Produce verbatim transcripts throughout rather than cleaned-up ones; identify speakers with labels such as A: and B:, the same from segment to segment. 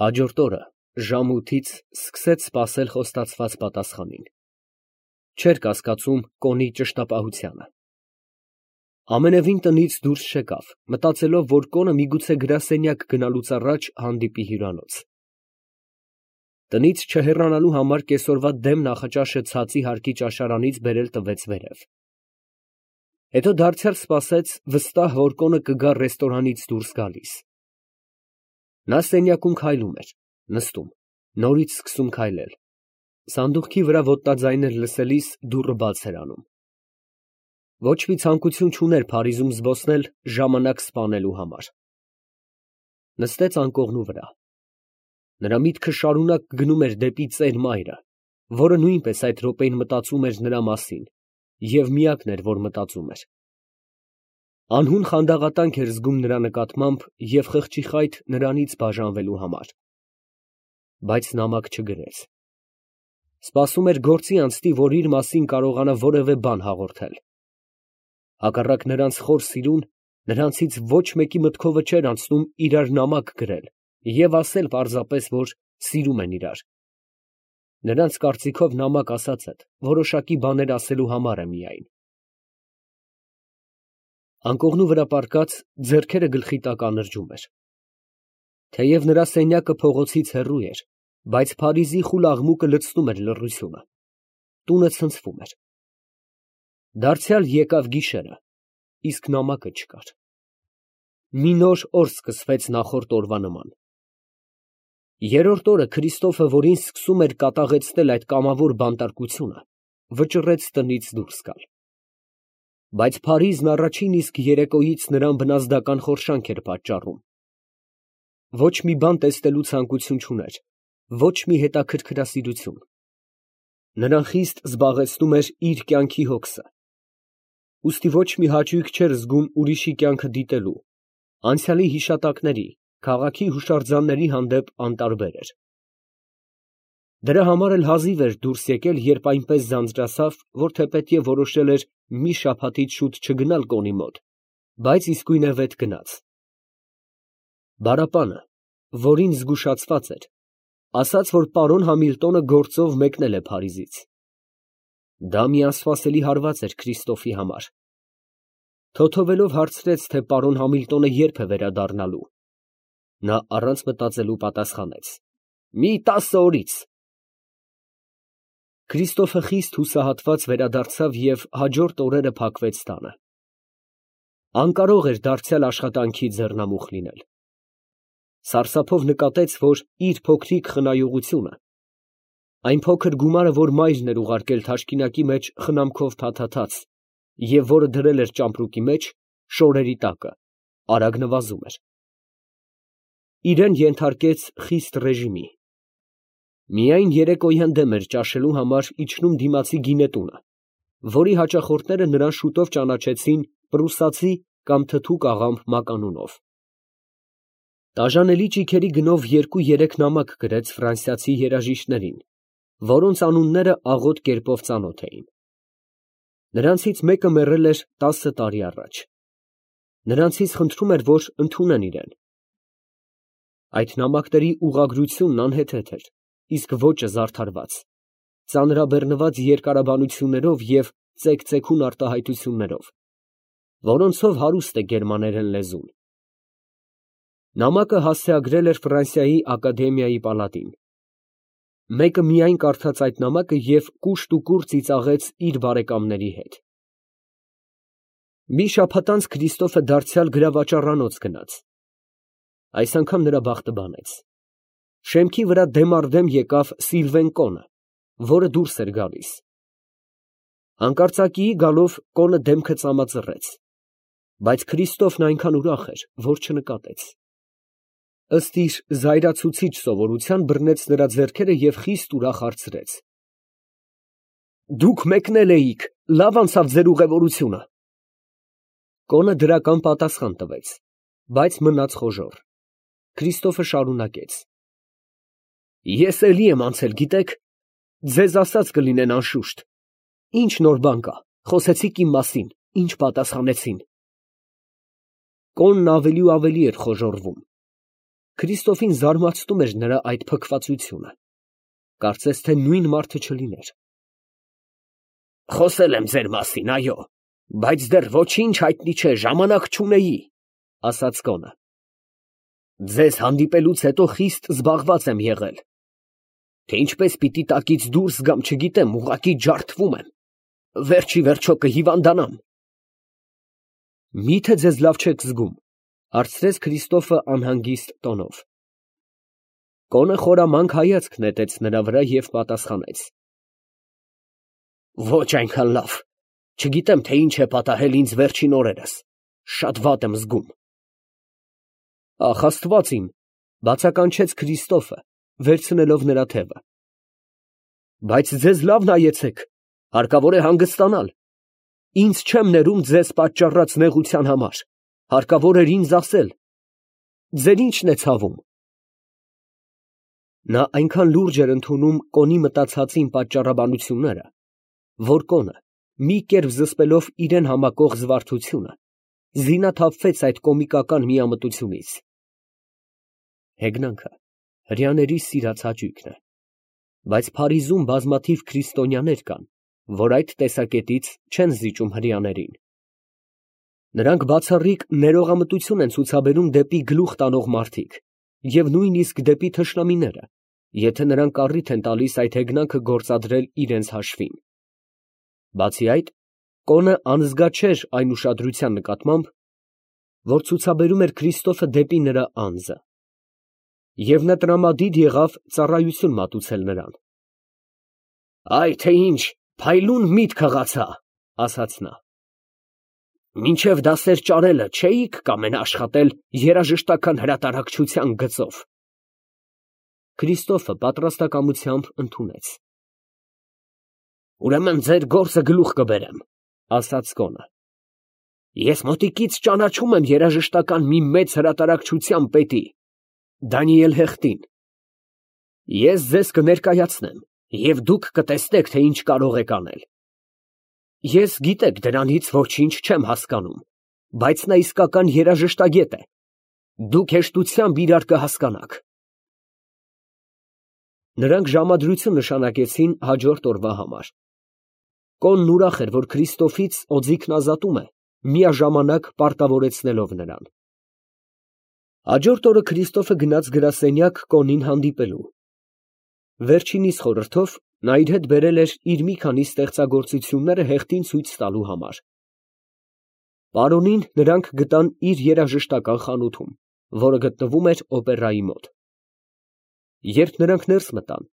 A: Հաջորդ օրը ժամութից սկսեց սպասել խոստացված պատասխանին, չէր կասկածում կոնի ճշտապահությանը։ Ամենևին տնից դուրս չեկավ, մտածելով, որ կոնը միգուցե գրասենյակ գնալուց առաջ հանդիպի հյուրանոց։ Տնից չհեռանալու համար կեսօրվա դեմ նախաճաշը ցածի հարկի ճաշարանից բերել տվեց վերև։ Հետո դարձյալ սպասեց վստահ, որ կոնը կգա ռեստորանից դուրս գալիս։ Նա սենյակում քայլում էր, նստում, նորից սկսում քայլել, սանդուղքի վրա ոտնաձայներ լսելիս դուռը բաց էր անում։ Ոչ մի ցանկություն չուներ Փարիզում զբոսնել ժամանակ սպանելու համար։ Նստեց անկողնու վրա։ Նրա միտքը շարունակ գնում էր դեպի ծեր մայրը, որը նույնպես այդ րոպեին մտածում էր նրա մասին և միակն էր, որ մտածում էր։ Անհուն խանդաղատանք էր զգում նրա նկատմամբ և խղճի խայթ նրանից բաժանվելու համար։ Բայց նամակ չգրեց։ Սպասում էր գործի անցնի, որ իր մասին կարողանա որևէ բան հաղորդել։ Հակառակ նրանց խոր սիրուն, նրանցից ոչ մեկի մտքովը չէր անցնում իրար նամակ գրել և ասել պարզապես, որ սիրում են իրար։ Նրանց կարծիքով նամակ ասածդ որոշակի բաներ ասելու համար է միայն։ Անկողնու վրա պառկած ձեռքերը գլխի տակ անրճում էր։ Թեև նրա սենյակը փողոցից հեռու էր, բայց Փարիզի խուլ աղմուկը լցնում էր լռությունը։ Տունը ցնցվում էր։ Դարձյալ եկավ գիշերը, իսկ նամակը չկար։ Մի նոր օր սկսվեց նախորդ օրվա նման։ Երրորդ օրը Քրիստոֆը, որին սկսում էր կատաղեցնել այդ կամավոր բանտարկությունը, վճռեց տնից դուրս գալ։ Բայց Փարիզն առաջին իսկ երեկոյից նրան բնազդական խորշանք էր պատճառում։ Ոչ մի բան տեսնելու ցանկություն չուներ, ոչ մի հետաքրքրասիրություն։ Նրան խիստ զբաղեցնում էր իր կյանքի հոգսը։ Ուստի ոչ մի հաճույք չէր զգում ուրիշի կյանքը դիտելու, անցյալի հիշատակների, քաղաքի հուշարձանների հանդեպ անտարբեր էր։ Դրա համար էլ հազիվ էր դուրս եկել, երբ այնպես ձանձրացավ, որ թեպետև որոշել էր մի շաբաթից շուտ չգնալ կոնի մոտ, բայց իսկույնևեթ գնաց։ Բարապանը, որին զգուշացված էր, ասաց, որ պարոն Համիլտոնը գործով մեկնել է Փարիզից։ Դա մի անսպասելի հարված էր Քրիստոֆի համար։ Թոթովելով հարցրեց, թե պարոն Համիլտոնը երբ է վերադառնալու։ Նա առանց մտածելու պատասխանեց. «Մի տասը օրից»։ Քրիստոֆը խիստ հուսահատված վերադարձավ և հաջորդ օրերը փակվեց տանը։ Անկարող էր դարձյալ աշխատանքի ձեռնամուխ լինել։ Սարսափով նկատեց, որ իր փոքրիկ խնայողությունը, այն փոքր գումարը, որ մայրն էր ուղարկել թաշկինակի մեջ խնամքով փաթաթած և որը դրել էր ճամպրուկի մեջ, շորերի տակը, արագ նվազում էր։ Իրան ենթարկեց խիստ ռեժիմի։ Միայն երեկոյան դեմ էր ճաշելու համար իջնում դիմացի գինետունը, որի հաճախորդները նրան շուտով ճանաչեցին պրուսացի կամ թթուկ աղամբ մականունով։ Տաժանելի ճիգերի գնով երկու֊երեք նամակ գրեց ֆրանսիացի երաժիշտներին, որոնց անունները աղոտ կերպով ծանոթ էին։ Նրանցից մեկը մեռել էր տասը տարի առաջ։ Նրանցից խնդրում էր, որ ընդունեն իրեն։ Այդ նամակների ուղղագրությունն անհեթեթ էր, իսկ ոճը զարդարված, ծանրաբեռնված երկարաբանություններով և ծեքծեքուն արտահայտություններով, որոնցով հարուստ է գերմաներեն լեզուն։ Նամակը հասցեագրել էր Ֆրանսիայի ակադեմիայի պալատին։ Մեկը միայն կարդաց այդ նամակը և կուշտ ու կուր ծիծաղեց իր բարեկամների հետ։ Մի շաբաթ անց Քրիստոֆը դարձյալ գրավաճառանոց գնաց։ Այս անգամ նրա բախտը բանեց։ Շեմքի վրա դեմ առ դեմ եկավ Սիլվեն կոնը, որը դուրս էր գալիս։ Հանկարծակիի գալով կոնը դեմքը ծամածռեց, բայց Քրիստոֆն այնքան ուրախ էր, որ չնկատեց։ Ըստ իր զայրացուցիչ սովորության բռնեց նրա ձեռքերը և խիստ ուրախ հարցրեց. «Դուք մեկնել էիք, լավ անցավ ձեր ուղևորությունը»։ Կոնը դրական պատասխան տվեց, բայց մնաց խոժոռ։ Քրիստոֆը շարունակեց. «Ես էլի եմ անցել, գիտեք, ձեզ ասած կլինեն անշուշտ, ինչ նոր բան կա, խոսեցիք իմ մասին, ինչ պատասխանեցին»։ Կոնն ավելի ու ավելի էր խոժոռվում։ Քրիստոֆին զարմացնում էր նրա այդ փքվածությունը, կարծես թե նույն մարդը չլիներ։ Խոսել եմ ձեր մասին, այո, բայց դեռ ոչինչ հայտնի չէ, ժամանակ չունեի, ասաց կոնը։ Ձեզ հանդիպելուց հետո խիստ զբաղված եմ եղել, թե ինչպես պիտի տակից դուրս գամ, չգիտեմ, ուղղակի ջարդվում եմ, վերջի վերջո կհիվանդանամ։ Միթե ձեզ լավ չեք զգում, հարցրեց Քրիստոֆը անհանգիստ տոնով։ Կոնը խորամանկ հայացք նետեց նրա վրա և պատասխանեց. Ոչ այնքան լավ, չգիտեմ, թե ինչ է պատահել ինձ վերջին օրերս, շատ վատ եմ զգում։ Ախ, Աստված իմ, բացականչեց Քրիստոֆը, վերցնելով նրա թևը։ Բայց ձեզ լավ նայեցեք, հարկավոր է հանգստանալ, ինձ չեմ ներում ձեզ պատճառած նեղության համար, հարկավոր էր ինձ ասել, ձեր ինչն է ցավում։ Նա այնքան լուրջ էր ընդունում կոնի մտածածին պատճառաբանությունները, որ կոնը, մի կերպ զսպելով իրեն համակող զվարթությունը, զինաթափվեց այդ կոմիկական միամտությունից։ Հեգնանքը հրեաների սիրած հաճույքն է, բայց Փարիզում բազմաթիվ քրիստոնյաներ կան, որ այդ տեսակետից չեն զիջում հրեաներին։ Նրանք բացառիկ ներողամտություն են ցուցաբերում դեպի գլուխ տանող մարդիկ և նույնիսկ դեպի թշնամիները, եթե նրանք առիթ են տալիս այդ հեգնանքը գործադրել իրենց հաշվին։ Բացի այդ, կոնը անզգա չէր այն ուշադրության նկատմամբ, որ ցուցաբերում էր Քրիստոֆը դեպի նրա անձը, և նա տրամադիր եղավ ծառայություն մատուցել նրան։ Այ թե ինչ, փայլուն միտք հղացա, ասաց նա։ Մինչև դասեր ճարելը չէիք կամենա աշխատել երաժշտական հրատարակչության գծով։ Քրիստոֆը պատրաստակամությամբ ընդունեց։ Ուրեմն ձեր գործը գլուխ կբերեմ, ասաց կոնը։ Ես մոտիկից ճանաչում եմ երաժշտական մի մեծ հրատարակչության պետի, Դանիել Հեղտին։ Ես ձեզ կներկայացնեմ, և դուք կտեսնեք, թե ինչ կարող եք անել։ Ես, գիտեք, դրանից ոչինչ չեմ հասկանում, բայց նա իսկական երաժշտագետ է, դուք հեշտությամբ իրար կհասկանաք։ Նրանք ժամադրություն նշանակեցին հաջորդ օրվա համար։ Կոնն ուրախ էր, որ Քրիստոֆից օձիքն ազատում է, միաժամանակ պարտավորեցնելով նրան։ Հաջորդ օրը Քրիստոֆը գնաց գրասենյակ կոնին հանդիպելու։ Վերջինիս խորհրդով նա իր հետ բերել էր իր մի քանի ստեղծագործությունները Հեղտին ցույց տալու համար։ Պարոնին նրանք գտան իր երաժշտական խանութում, որը գտնվում էր օպերայի մոտ։ Երբ նրանք ներս մտան,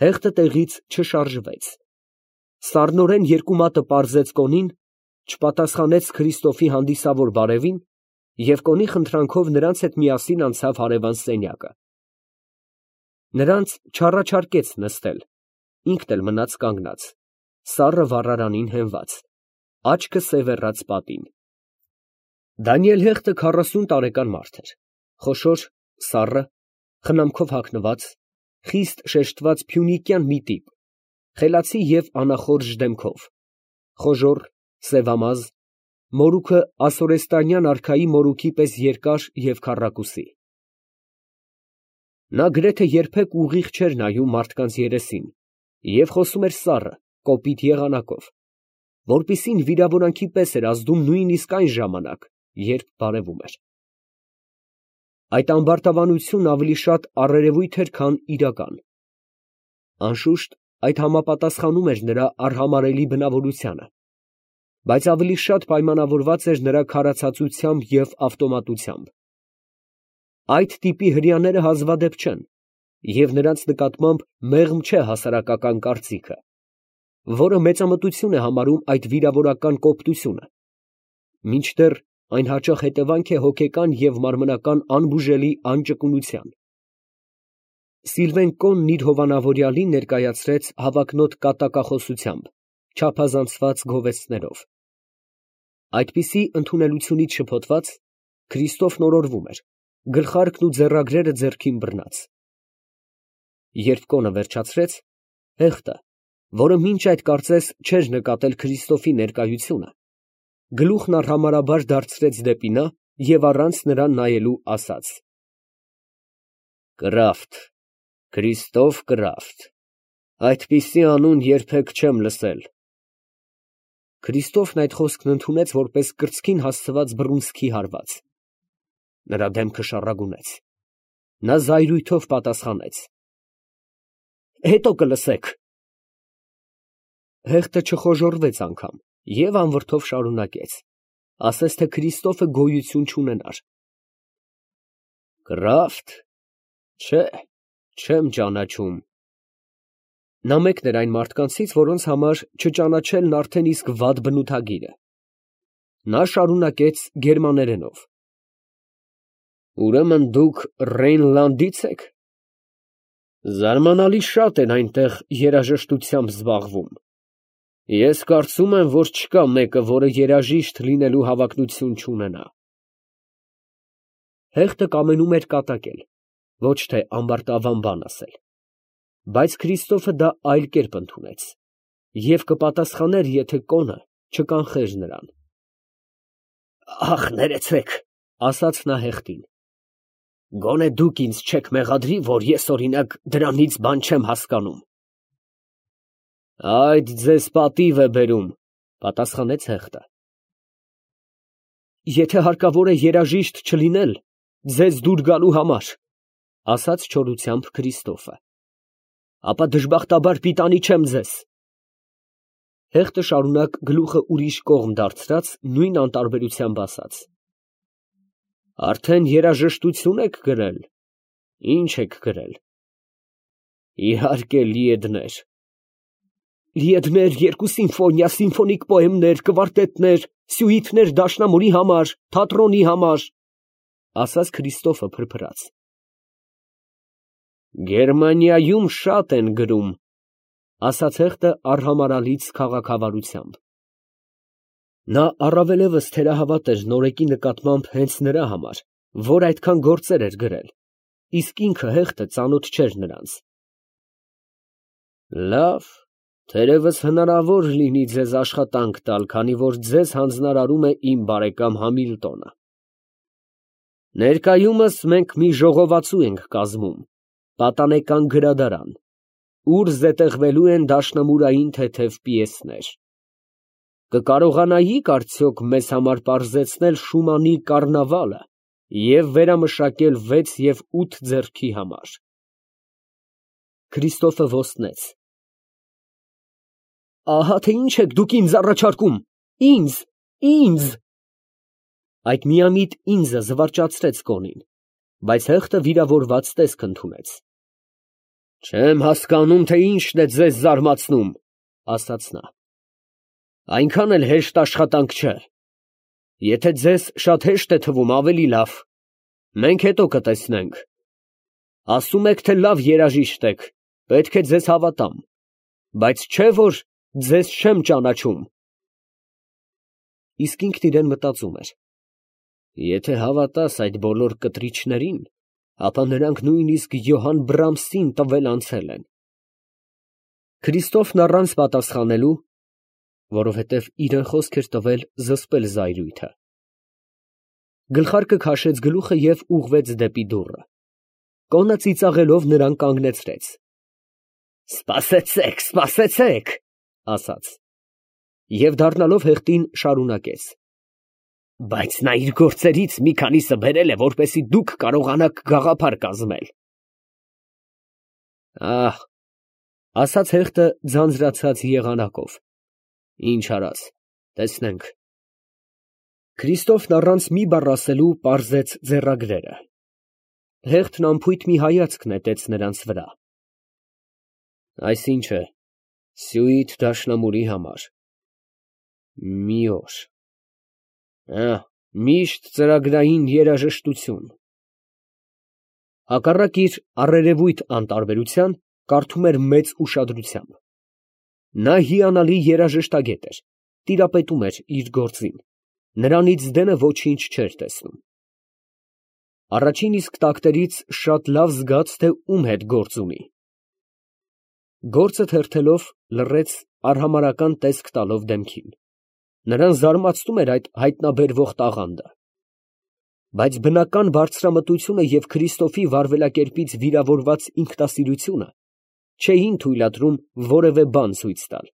A: Հեղտը տեղից չշարժվեց։ Սառնորեն երկու մատը պարզեց կոնին, չպատասխանեց Քրիստոֆի հանդիսավոր բարևին և կոնի խնդրանքով նրանց հետ միասին անցավ հարևան սենյակը։ Նրանց չառաջարկեց նստել, ինքն էլ մնաց կանգնած, սառը վառարանին հենված, աչքը սևեռած պատին։ Դանիել Հեղտը քառասուն տարեկան մարդ էր, խոշոր, սառը, խնամքով հագնված, խիստ շեշտված փյունիկյան մի տիպ, խելացի և անախորժ դեմքով, խոժոռ, սևամազ, մորուքը ասորեստանյան արքայի մորուքի պես երկար և քառակուսի։ Նա գրեթե երբեք ուղիղ չէր նայում մարդկանց երեսին և խոսում էր սառը, կոպիտ եղանակով, որպիսին վիրավորանքի պես էր ազդում նույնիսկ այն ժամանակ, երբ բարևում էր։ Այդ ամբարտավանությունն ավելի շատ առերևույթ էր, քան իրական։ Անշուշտ, այդ համապատասխանում էր նրա արհամարհելի բնավորությանը, բայց ավելի շատ պայմանավորված էր նրա քարացածությամբ և ավտոմատությամբ։ Այդ տիպի հրեաները հազվադեպ չեն, և նրանց նկատմամբ մեղմ չէ հասարակական կարծիքը, որը մեծամտություն է համարում այդ վիրավորական կոպտությունը, մինչդեռ այն հաճախ հետևանք է հոգեկան և մարմնական անբուժելի անճկունության։ Սիլվեն Կոնն իր հովանավորյալին ներկայացրեց հավակնոտ կատակախոսությամբ, չափազանցված գովեստներով։ Այդպիսի ընդունելությունից շփոթված, Քրիստոֆն օրորվում էր, գլխարկն ու ձեռագրերը ձեռքին բռնած։ Երբ կոնը վերջացրեց, Հեղտը, որը մինչ այդ կարծես չէր նկատել Քրիստոֆի ներկայությունը, գլուխն արհամարհաբար դարձրեց դեպի նա և առանց նրան նայելու ասաց. Կրաֆտ, Քրիստոֆ Կրաֆտ, այդպիսի անուն երբեք չեմ լսել։ Քրիստոֆն այդ խոսքն ընդունեց որպես կրծքին հասցված բռունցքի հարված։ Նրա դեմքը շառագունեց։ Նա զայրույթով պատասխանեց. Հետո կլսեք։ Հեղտը չխոժոռվեց անգամ և անվրդով շարունակեց, ասես թե Քրիստոֆը գոյություն չունենար. Կրաֆտ, չէ, չեմ ճանաչում։ Նա մեկն էր այն մարդկանցից, որոնց համար չճանաչելն արդեն իսկ վատ բնութագիր է։ Նա շարունակեց գերմաներենով. Ուրեմն դուք Ռեյնլանդից եք։ Զարմանալի շատ են այնտեղ երաժշտությամբ զբաղվում։ Ես կարծում եմ, որ չկա մեկը, որը երաժիշտ լինելու հավակնություն չունենա։ Հեղտը կամենում էր կատակել, ոչ թե ամբարտավան բան ասել, բայց Քրիստոֆը դա այլ կերպ ընդունեց և կպատասխաներ, եթե կոնը չկանխեր նրան։ Ախ, ներեցեք, ասաց նա հեղտին, գոնե դուք ինձ չեք մեղադրի, որ ես օրինակ դրանից բան չեմ հասկանում։ Այդ ձեզ պատիվ է բերում, պատասխանեց հեղտը։ Եթե հարկավոր է երաժիշտ չլինել, ձեզ դուր գալու համար, ասաց չորությամբ Քրիստոֆը, ապա դժբախտաբար պիտանի չեմ ձեզ։ Հեղտը շարունակ գլուխը ուրիշ կողմ դարձրած նույն անտարբերությամբ ասաց. Արդեն երաժշտություն եք գրել, ի՞նչ եք գրել։ Իհարկե լիեդներ։ Լիեդներ, երկու սիմֆոնիա, սիմֆոնիկ պոեմներ, կվարտետներ, սյուիտներ դաշնամուրի համար, թատրոնի համար, ասաց Քրիստոֆը փրփրած։ Գերմանիայում շատ են գրում, ասաց հեղտը արհամարհալից քաղաքավարությամբ։ Նա առավելևս թերահավատ էր նորեկի նկատմամբ հենց նրա համար, որ այդքան գործեր էր գրել, իսկ ինքը հեղտը ծանոթ չէր նրանց։ Լավ, թերևս հնարավոր լինի ձեզ աշխատանք տալ, քանի որ ձեզ հանձնարարում է իմ բարեկամ Համիլտոնը։ Ներկայումս մենք մի ժողովածու ենք կազմում, պատանեկան գրադարան, ուր զետեղվելու են դաշնամուրային թեթև պիեսներ։ Կկարողանայիք արդյոք մեզ համար պարզեցնել Շումանի կառնավալը և վերամշակել վեց և ութ ձեռքի համար։ Քրիստոֆը ոստնեց։ Ահա թե ինչ եք դուք ինձ առաջարկում, ինձ, ինձ։ Այդ միամիտ ինձը զվարճացրեց կոնին, բայց հեղտը վիրավորված տեսք ընդունեց։ Չեմ հասկանում, թե ինչն է ձեզ զարմացնում, ասաց նա։ Այնքան էլ հեշտ աշխատանք չէ։ Եթե ձեզ շատ հեշտ է թվում, ավելի լավ, մենք հետո կտեսնենք։ Ասում եք, թե լավ երաժիշտ եք, պետք է ձեզ հավատամ, բայց չէ որ ձեզ չեմ ճանաչում։ Իսկ ինքն իրեն մտածում էր. Եթե հավատաս այդ բոլոր կտրիչներին, ապա նրանք նույնիսկ Յոհան Բրամսին տվել անցել են։ Քրիստոֆն առանց պատասխանելու, որովհետև իրեն խոսք էր տվել զսպել զայրույթը, գլխարկը քաշեց գլուխը և ուղղվեց դեպի դուռը։ Կոնը ծիծաղելով նրան կանգնեցրեց։ Սպասեցեք, սպասեցեք, ասաց, և դառնալով հեղտին շարունակեց. Բայց նա իր գործերից մի քանիսը բերել է, որպեսզի դուք կարողանաք գաղափար կազմել։ Ահ, ասաց հեղտը ձանձրացած եղանակով, ինչ արած, տեսնենք։ Քրիստոֆն առանց մի բառ ասելու պարզեց ձեռագրերը։ Հեղտն անփույթ մի հայացք նետեց նրանց վրա։ Այսինչ է, սյուիթ դաշնամուրի համար։ Մի օր։ Ահ, միշտ ծրագրային երաժշտություն։ Հակառակ իր առերևույթ անտարբերության, կարդում էր մեծ ուշադրությամբ։ Նա հիանալի երաժշտագետ էր, տիրապետում էր իր գործին, նրանից դենը ոչինչ չէր տեսնում։ Առաջին իսկ տակտերից շատ լավ զգաց, թե ում հետ գործ ունի։ Գործը թերթելով լռեց արհամարհական տեսք տալով դեմքին։ Նրան զարմացնում էր այդ հայտնաբերվող տաղանդը։ Բայց բնական բարձրամտությունը և Քրիստոֆի վարվելակերպից վիրավորված ինքնասիրությունը չէին թույլատրում որևէ բան ցույց տալ։